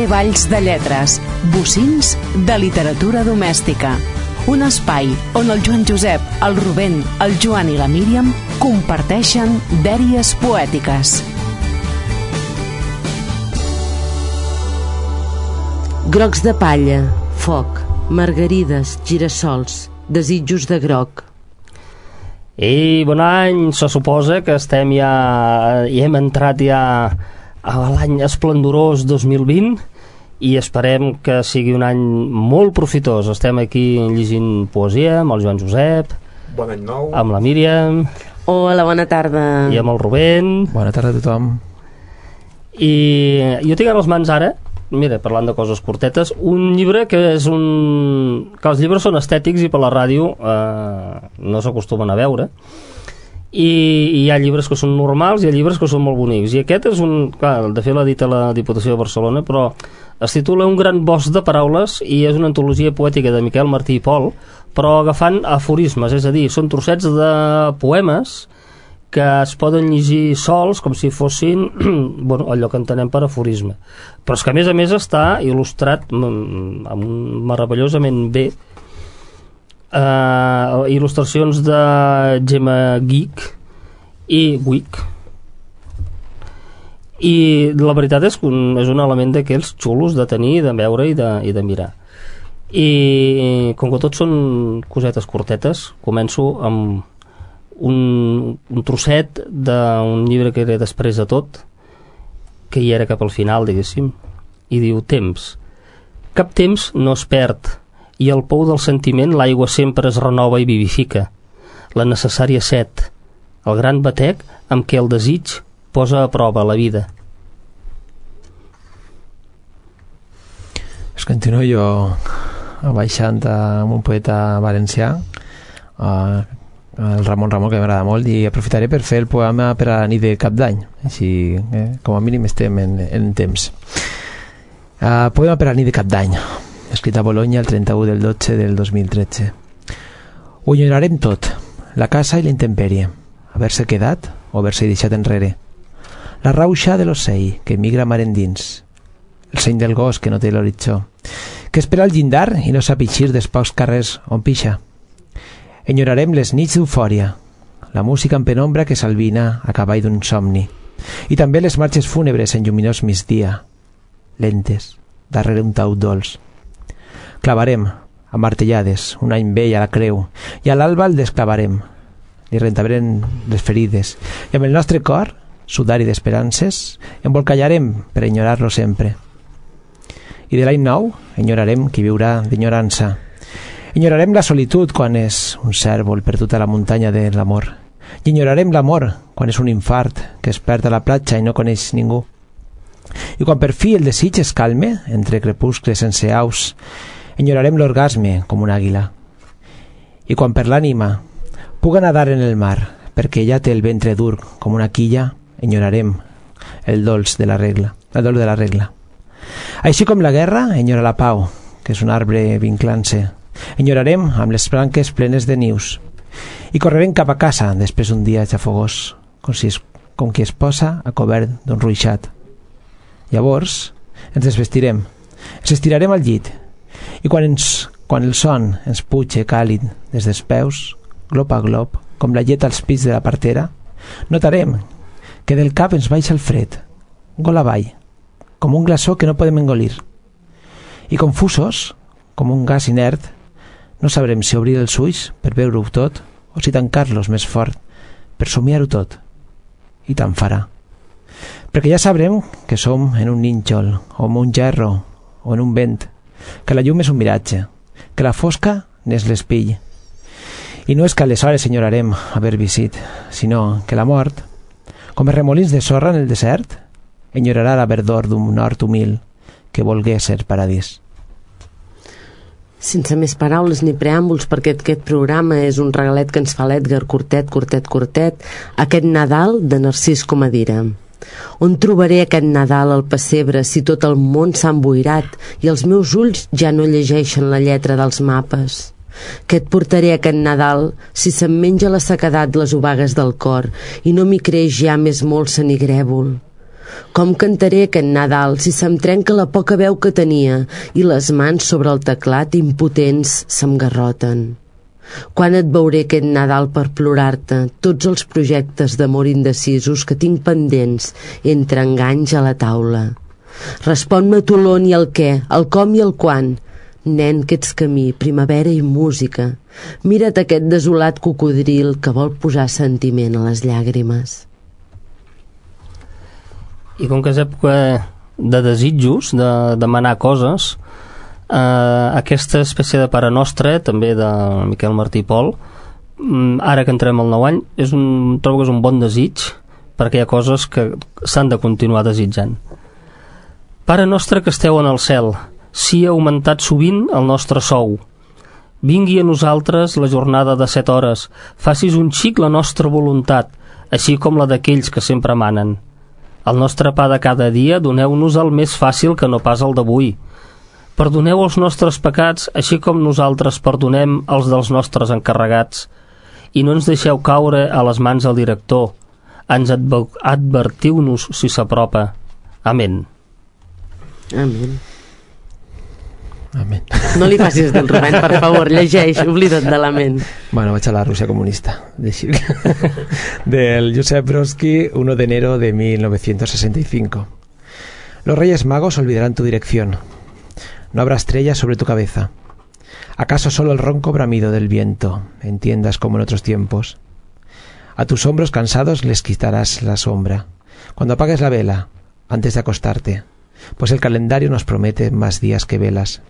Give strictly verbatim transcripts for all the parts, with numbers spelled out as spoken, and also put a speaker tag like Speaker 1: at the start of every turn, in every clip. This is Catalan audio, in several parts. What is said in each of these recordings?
Speaker 1: Valls de Lletres, bocins de literatura domèstica. Un espai on el Joan Josep, el Rubén, el Joan i la Míriam comparteixen dèries poètiques.
Speaker 2: Grocs de palla, foc, margarides, girassols, desitjos de groc.
Speaker 3: I bon any, se suposa que estem ja, i hem entrat ja a l'any esplendorós dos mil vint i esperem que sigui un any molt profitós. Estem aquí llegint poesia amb el Joan Josep,
Speaker 4: bon any nou,
Speaker 3: amb la Míriam,
Speaker 2: hola, bona tarda,
Speaker 3: i amb el Rubén.
Speaker 5: Bona tarda a tothom.
Speaker 3: I jo tinc a les mans ara, mira, parlant de coses curtetes, un llibre que és un... que els llibres són estètics i per la ràdio eh, no s'acostumen a veure, i, i hi ha llibres que són normals i hi ha llibres que són molt bonics, i aquest és un... clar, de fet l'ha dit a la Diputació de Barcelona, però es titula Un gran bosc de paraules i és una antologia poètica de Miquel Martí i Pol, però agafant aforismes, és a dir, són trossets de poemes que es poden llegir sols com si fossin bueno, allò que entenem per aforisme, però és que a més a més està il·lustrat amb meravellosament bé, uh, il·lustracions de Gemma Geek i Wick, i la veritat és que un, és un element d'aquells xulos de tenir, de veure i de, i de mirar. I com que tots són cosetes curtetes, començo amb Un, un trosset d'un llibre que era després de tot, que hi era cap al final, diguéssim, i diu: temps, cap temps no es perd, i al pou del sentiment l'aigua sempre es renova i vivifica, la necessària set, el gran batec amb què el desig posa a prova la vida.
Speaker 5: Es continuo jo baixant amb un poeta valencià, uh, el Ramon Ramon, que m'agrada molt, i aprofitaré per fer el poema per a la nit de Cap d'Any, així eh, com a mínim estem en, en temps. Uh, poema per a la nit de Cap d'Any, escrit a Bologna el trenta-u del dotze del dos mil tretze. Ho enyorarem tot, la casa i la intempèrie, haver-se quedat o haver-se deixat enrere, la rauxa de l'ocell que migra mar endins, el seny del gos que no té l'horitzó, que espera al llindar i no sap eixir dels pocs carrers on pixa. Enyorarem les nits d'eufòria, la música en penombra que s'albina a cavall d'un somni, i també les marxes fúnebres en lluminós migdia, lentes, darrere un taüt dolç. Clavarem, a martellades, un any vell a la creu, i a l'alba el desclavarem, li rentabrem les ferides, i amb el nostre cor, sudari d'esperances, embolcallarem per enyorar-lo sempre. I de l'any nou, enyorarem qui viurà d'enyorança. Enyorarem la solitud quan és un cèrvol perdut a la muntanya de l'amor. I enyorarem l'amor quan és un infart que es perd a la platja i no coneix ningú. I quan per fi el desig es calme entre crepuscles sense aus, enyorarem l'orgasme com una àguila. I quan per l'ànima puga nadar en el mar perquè ja té el ventre dur com una quilla, enyorarem el dolç de la regla, el dolç de la regla. Així com la guerra enyora la pau, que és un arbre vinclant-se. Enyorarem amb les branques plenes de nius i correrem cap a casa després d'un dia xafogós, com, si es, com qui es posa a cobert d'un ruixat. Llavors ens desvestirem, ens estirarem al llit i quan, ens, quan el son ens puge càlid des dels peus, glop a glop, com la llet als pits de la partera, notarem que del cap ens baixa el fred, gol avall, com un glaçó que no podem engolir. I confusos, com un gas inert, no sabrem si obrir els ulls per veure-ho tot o si tancar-los més fort per somiar-ho tot. I tant farà. Perquè ja sabrem que som en un nínxol o en un gerro o en un vent, que la llum és un miratge, que la fosca n'és l'espill. I no és que aleshores enyorarem haver visit, sinó que la mort, com els remolins de sorra en el desert, enyorarà la verdor d'un nord humil que volgué ser paradís.
Speaker 2: Sense més paraules ni preàmbuls, perquè aquest programa és un regalet que ens fa l'Edgar Cortet, Cortet, Cortet, aquest Nadal de Narcís Comadira. On trobaré aquest Nadal al pessebre si tot el món s'ha emboirat i els meus ulls ja no llegeixen la lletra dels mapes? Què et portaré aquest Nadal si se'm menja la sequedat les obagues del cor i no m'hi creix ja més molt senigrèvol? Com cantaré aquest Nadal si se'm trenca la poca veu que tenia i les mans sobre el teclat impotents se'm garroten? Quan et veuré aquest Nadal per plorar-te tots els projectes d'amor indecisos que tinc pendents entre enganys a la taula? Respon-me tu l'on i el què, el com i el quan. Nen, que ets camí, primavera i música. Mira't aquest desolat cocodril que vol posar sentiment a les llàgrimes.
Speaker 3: I com que és època de desitjos, de demanar coses, eh, aquesta espècie de Pare Nostre, també de Miquel Martí i Pol, ara que entrem al nou any, és un, trobo que és un bon desig, perquè hi ha coses que s'han de continuar desitjant. Pare Nostre que esteu en el cel, si ha augmentat sovint el nostre sou. Vingui a nosaltres la jornada de set hores, facis un xic la nostra voluntat, així com la d'aquells que sempre manen. El nostre pa de cada dia doneu-nos el més fàcil que no pas el d'avui. Perdoneu els nostres pecats, així com nosaltres perdonem els dels nostres encarregats. I no ens deixeu caure a les mans del director. Ens advertiu-nos si s'apropa. Amén.
Speaker 2: Amén.
Speaker 5: Amén.
Speaker 2: No li facis del Rubén, per favor, llegeix, oblida't de l'amén.
Speaker 5: Bueno, vaig a la Rusia comunista. Del Josep Brodsky, uno de enero de mil novecientos sesenta y cinco. Los Reyes Magos olvidarán tu dirección. No habrá estrellas sobre tu cabeza. ¿Acaso solo el ronco bramido del viento entiendas como en otros tiempos? A tus hombros cansados les quitarás la sombra cuando apagues la vela antes de acostarte, pues el calendario nos promete más días que velas.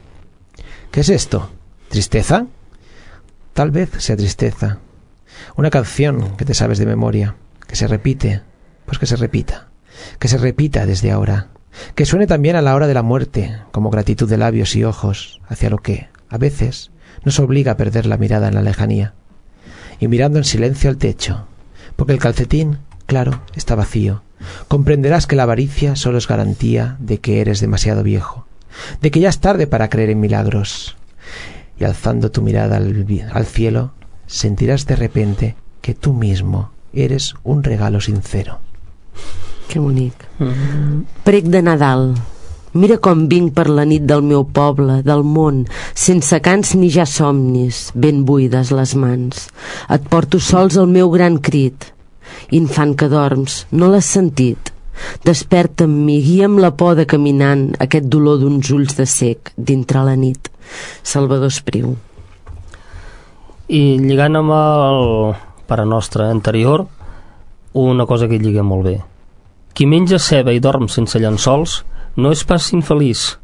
Speaker 5: ¿Qué es esto? ¿Tristeza? Tal vez sea tristeza. Una canción que te sabes de memoria, que se repite, pues que se repita, que se repita desde ahora, que suene también a la hora de la muerte, como gratitud de labios y ojos hacia lo que, a veces, nos obliga a perder la mirada en la lejanía. Y mirando en silencio al techo, porque el calcetín, claro, está vacío, comprenderás que la avaricia solo es garantía de que eres demasiado viejo, de que ya es tarde para creer en milagros. Y alzando tu mirada al, al cielo, sentirás de repente que tú mismo eres un regalo sincero.
Speaker 2: Que bonic. Mm-hmm. Prec de Nadal. Mira com vinc per la nit del meu poble, del món, sense cants ni ja somnis, ben buides les mans. Et porto sols el meu gran crit. Infant que dorms, no l'has sentit? Desperta amb mi, guia'm la por de caminant, aquest dolor d'uns ulls de cec dintre la nit. Salvador Espriu.
Speaker 3: I lligant amb el Pare Nostre anterior, una cosa que hi lliga molt bé. Qui menja ceba i dorm sense llençols no és pas infeliç,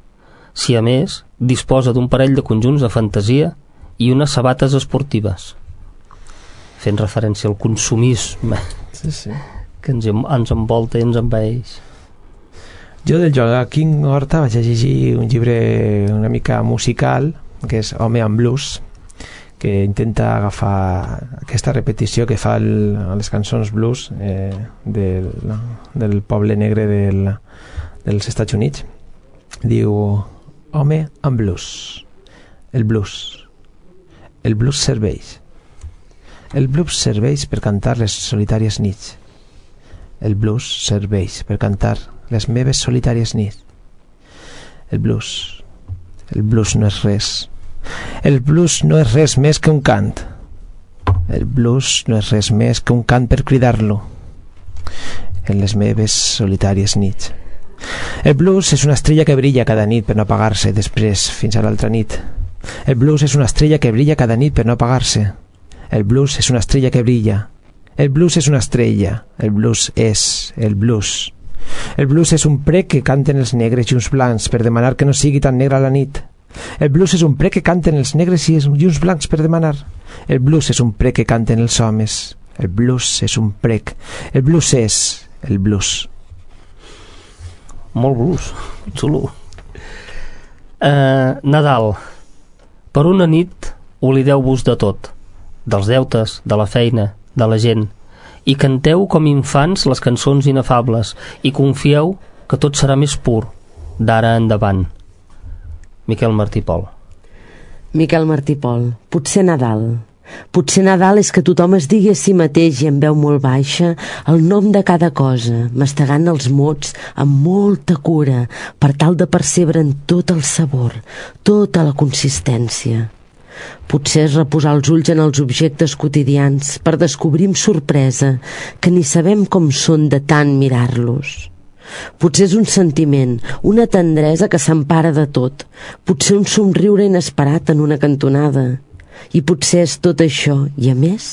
Speaker 3: si a més disposa d'un parell de conjunts de fantasia i unes sabates esportives. Fent referència al consumisme,
Speaker 5: sí, sí,
Speaker 3: que ens, ens envolta i ens envaeix.
Speaker 5: Jo del Joaquín Horta vaig llegir un llibre una mica musical, que és Home amb blues, que intenta agafar aquesta repetició que fa el, a les cançons blues eh, del, del poble negre del, dels Estats Units. Diu: Home amb blues. El blues. El blues serveix. El blues serveix per cantar les solitàries nits. El blues serveix per cantar les meves solitàries nits. El blues. El blues no és res. El blues no és res més que un cant. El blues no és res més que un cant per cridar-lo en les meves solitàries nits. El blues és una estrella que brilla cada nit per no apagar-se després fins a l'altra nit. El blues és una estrella que brilla cada nit per no apagar-se. El blues és una estrella que brilla. El blues és una estrella. El blues és el blues. El blues és un prec que canten els negres i uns blancs per demanar que no sigui tan negra la nit. El blues és un prec que canten els negres i uns blancs per demanar. El blues és un prec que canten els homes. El blues és un prec. El blues és el blues.
Speaker 3: Molt blues, xulo. Uh, Nadal. Per una nit oblideu-vos de tot, dels deutes, de la feina, de la gent, i canteu com infants les cançons inefables i confieu que tot serà més pur d'ara endavant. Miquel Martí i Pol.
Speaker 2: Miquel Martí i Pol. Potser Nadal. Potser Nadal és que tothom es digui a si mateix i en veu molt baixa el nom de cada cosa, mastegant els mots amb molta cura per tal de percebre'n tot el sabor, tota la consistència. Potser és reposar els ulls en els objectes quotidians per descobrir amb sorpresa que ni sabem com són de tant mirar-los. Potser és un sentiment, una tendresa que s'empara de tot, potser un somriure inesperat en una cantonada. I potser és tot això, i a més,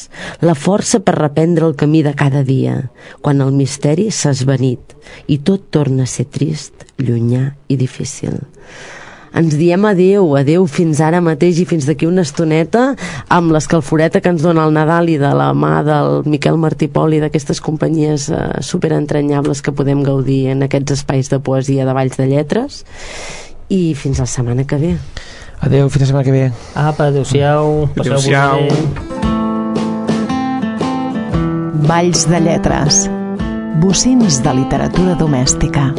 Speaker 2: la força per reprendre el camí de cada dia, quan el misteri s'ha esvanit i tot torna a ser trist, llunyà i difícil. Ens diem adeu, adeu fins ara mateix i fins d'aquí una estoneta amb l'escalforeta que ens dona el Nadal i de la mà del Miquel Martí Pol i d'aquestes companyies eh, superentranyables que podem gaudir en aquests espais de poesia de Valls de Lletres, i fins la setmana que ve.
Speaker 5: Adeu, fins la setmana que ve.
Speaker 3: Apa, adeu-siau.
Speaker 5: Adeu-siau.
Speaker 1: Valls de Lletres. Bocins de literatura domèstica.